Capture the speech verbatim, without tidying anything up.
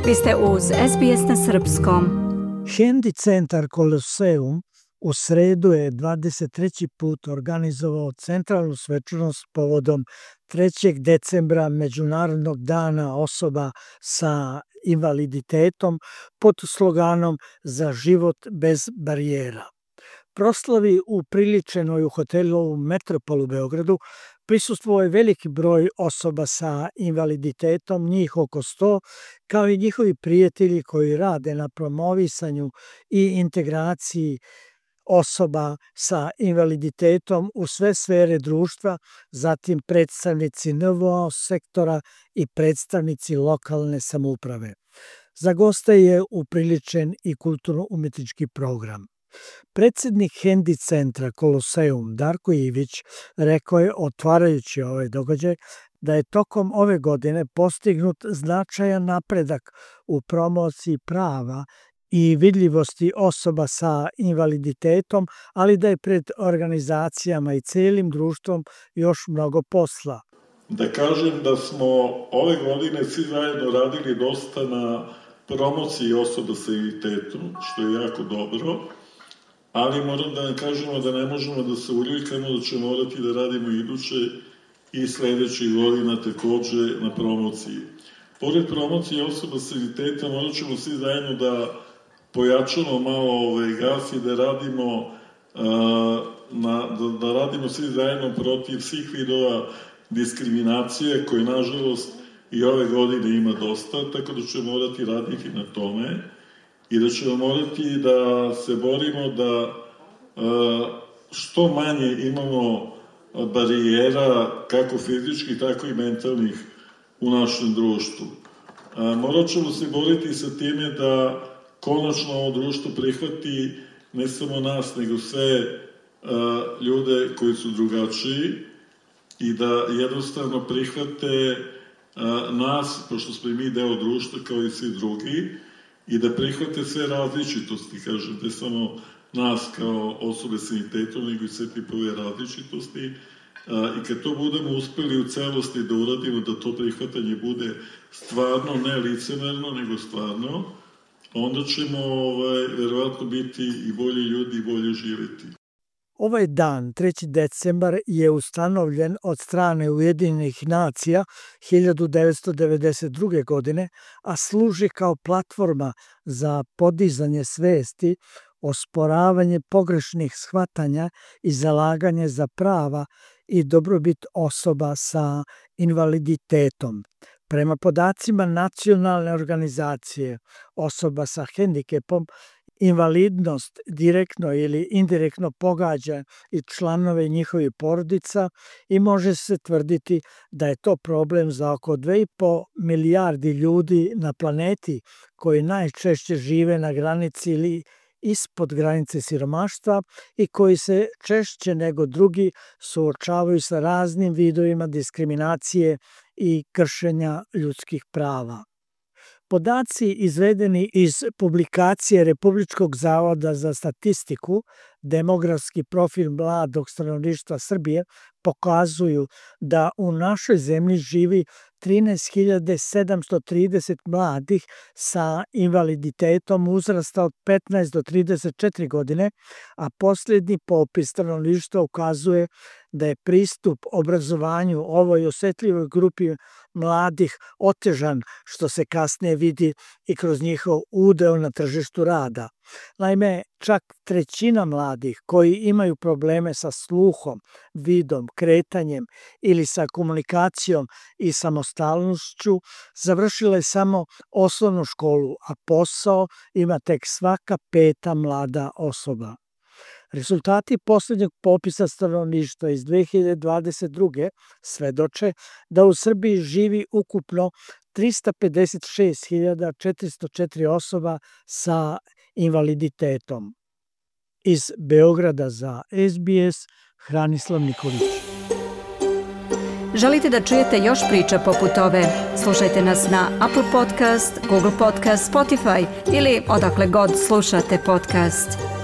Vi ste uz S B S na srpskom. Hendi centar Koloseum u sredu je dvadeset treći put organizovao centralnu svečanost povodom trećeg decembra Međunarodnog dana osoba sa invaliditetom pod sloganom Za život bez barijera. Proslavi upriličenoj u hotelu Metropol u Beogradu prisustvovao je veliki broj osoba sa invaliditetom, njih oko sto, kao i njihovi prijatelji koji rade na promovisanju i integraciji osoba sa invaliditetom u sve sfere društva, zatim predstavnici N V O sektora i predstavnici lokalne samouprave. Za goste je upriličen i kulturno-umetnički program. Predsednik Hendi centra Koloseum Darko Ivić rekao je, otvarajući ovaj događaj, da je tokom ove godine postignut značajan napredak u promociji prava i vidljivosti osoba sa invaliditetom, ali da je pred organizacijama i celim društvom još mnogo posla. Da kažem da smo ove godine svi zajedno radili dosta na promociji osoba sa invaliditetom, što je jako dobro, ali moram da vam kažemo da ne možemo da se uljuljkamo, da ćemo morati da radimo iduće i sledećih godina takođe na promociji. Pored promocije osoba sa invaliditetom, morat ćemo svi zajedno da pojačamo malo ovaj gas i da radimo, uh, na, da, da radimo svi zajedno protiv svih vidova diskriminacije, koje nažalost i ove godine ima dosta, tako da ćemo morati raditi na tome i da ćemo morati da se borimo da uh, što manje imamo barijera, kako fizičkih, tako i mentalnih u našem društvu. Uh, morat ćemo se boriti sa time da konačno ovo društvo prihvati ne samo nas, nego sve uh, ljude koji su drugačiji i da jednostavno prihvate uh, nas, pošto smo i mi deo društva kao i svi drugi, i da prihvate sve različitosti, kažem, ne samo nas kao osobe s invaliditetom, nego i sve tipove različitosti. Uh, I kad to budemo uspeli u celosti da uradimo, da to prihvatanje bude stvarno, ne licemerno, nego stvarno, onda ćemo ovaj, verovatno biti i bolji ljudi i bolje živjeti. Ovaj dan, treći decembar, je ustanovljen od strane Ujedinjenih nacija hiljadu devetsto devedeset druge. godine, a služi kao platforma za podizanje svesti, osporavanje pogrešnih shvatanja i zalaganje za prava i dobrobit osoba sa invaliditetom. Prema podacima Nacionalne organizacije osoba sa hendikepom, invalidnost direktno ili indirektno pogađa i članove njihovih porodica i može se tvrditi da je to problem za oko dve i po milijardi ljudi na planeti koji najčešće žive na granici ili ispod granice siromaštva i koji se češće nego drugi suočavaju sa raznim vidovima diskriminacije i kršenja ljudskih prava. Podaci izvedeni iz publikacije Republičkog zavoda za statistiku Demografski profil mladog stanovništva Srbije pokazuju da u našoj zemlji živi trinaest hiljada sedamsto trideset mladih sa invaliditetom uzrasta od petnaest do trideset četiri godine, a posljednji popis stanovništva ukazuje da je pristup obrazovanju ovoj osetljivoj grupi mladih otežan, što se kasnije vidi i kroz njihov udeo na tržištu rada. Naime, čak trećina mladih koji imaju probleme sa sluhom, vidom, kretanjem ili sa komunikacijom i samostalnošću završila je samo osnovnu školu, a posao ima tek svaka peta mlada osoba. Rezultati poslednjeg popisa stanovništva iz dve hiljade dvadeset druge. svedoče da u Srbiji živi ukupno trista pedeset šest hiljada četiristo četiri osoba sa invaliditetom. Iz Beograda za S B S, Hranislav Nikolić. Želite da čujete još priča poput ove? Slušajte nas na Apple Podcast, Google Podcast, Spotify ili odakle god slušate podcast.